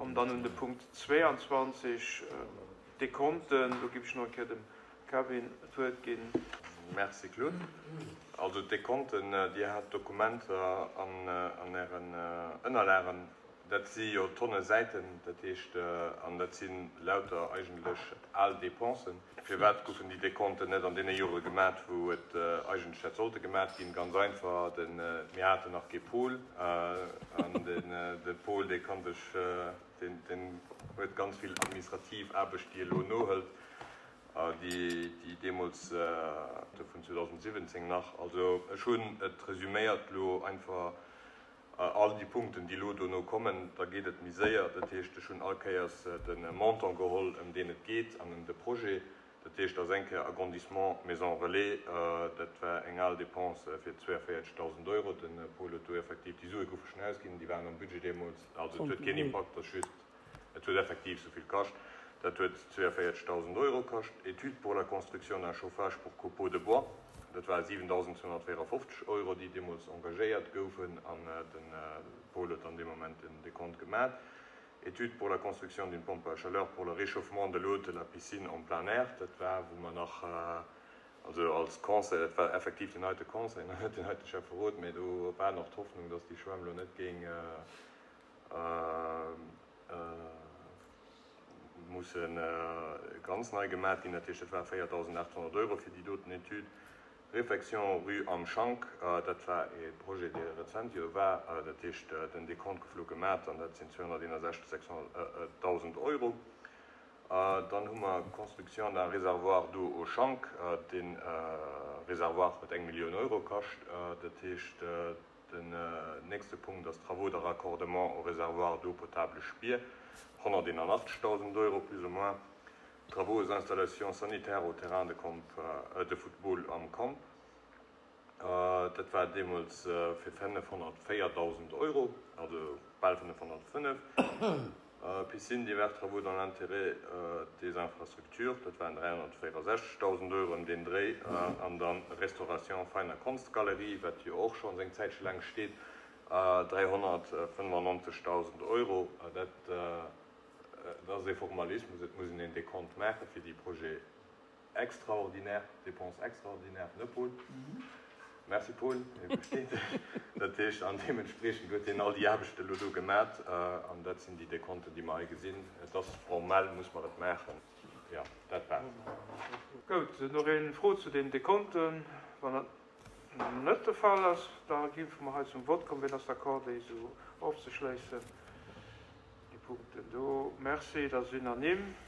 Kommen dann un de Punkt 22, d'Dekonten. Do géif ech nach eng Kéier dem Kevin d'Wuert ginn. Merci Claude. Also d'Dekonten, Dir hat d'Dokumenter an Ären Ënnerlagen. Dat si jo Tonne Säiten, dat heescht, an dat si lauter eigentlech al Dépensen. Firwat goufen déi Dekonten net an deene Jore gemat, wou et eigentlech hätt sollte gemat ginn? Ganz einfach, mir haten nach kee Paul. An de Paul, dee kann sech, deen huet ganz vill administrativ Aarbecht, déi e lo nohëlt, déi deemools vun 2017 nach. Also ech hunn et resüméiert elo einfach. All déi Punkten, déi elo dono kommen, da geet et méi séier. Dat heescht, ech hunn all Kéiers de Montant geholl, ëm deen et geet, an ëm de Projet. Dat heescht, ass eng Kéier Agrandissement Maison Relais, dat war eng al Dépense fir 42.000 Euro. De Paul huet do effektiv, déi Sue goufe schonn ausginn, déi waren am Budget deemools. Also et huet keen Impakt, ass just. Et huet effektiv sou vill kascht. Dat huet 42.000 Euro kascht. Études pour la construction d'un chauffage pour copeaux de bois, dat war 7.254 Euro, déi deemools engagéiert goufen an de Paul huet dann dee Moment den Dekont gemat. Études pour la construction d'une pompe à chaleur pour le réchauffement de l'eau de la piscine en plein air, dat war wou mer nach, also als Conseil, dat war effektiv den heite Conseil, net den heite Schäfferot, mä do war nach d'Hoffnung, dass déi Schwämm elo net géing, Musse ganz nei gemat ginn. Dat heescht, dat war 4.800 Euro fir déi doten Etüd. Réfection rue Am Schank, dat war e Projet, dee rezent jo war. Dat heescht, den Dekont gouf elo gemat an dat sinn 261.000 Euro. Dann hu mer Construction d'un réservoir d'eau au Schank. Dee Réservoir huet eng Millioun Euro kascht. Dat heescht, Den nächste Punkt ass Travaux de raccordement au réservoir d'eau potable Spier, 181.000 Euro plus ou moins. Travaux aux installations sanitaires au terrain de camp de football am Camp, dat war deemools fir 504.000 Euro, also bal 505. Piscine, divers travaux dans l'intérêt des infrastructures, dat waren 364.000 Euro ëm deen Dréi. An dann Restauration Veiner Konstgalerie, wat jo och schonns eng Zäitche laang steet, 395.000 Euro. Dat ass ee Formalismus, et muss een een Dekont maache fir déi Projet. Extraordinaire, Dépenses extraordinaires, ne Paul? Merci Paul, hie versteet sech. Dat heescht, an deementspriechend huet hien all déi Aarbechte elo do gemat an dat sinn déi Dekonten, déi mer hei gesinn. Et ass formell, muss mer et maachen. Jo, dat war et. Gout, nach eng Fro zu den Dekonten? Wann dat net de Fall ass, da géife mer hei zum Vott kommen. Wien ass d'accord, déi esou ofzeschléissen, déi Punkten do? Merci, dat ass unanime.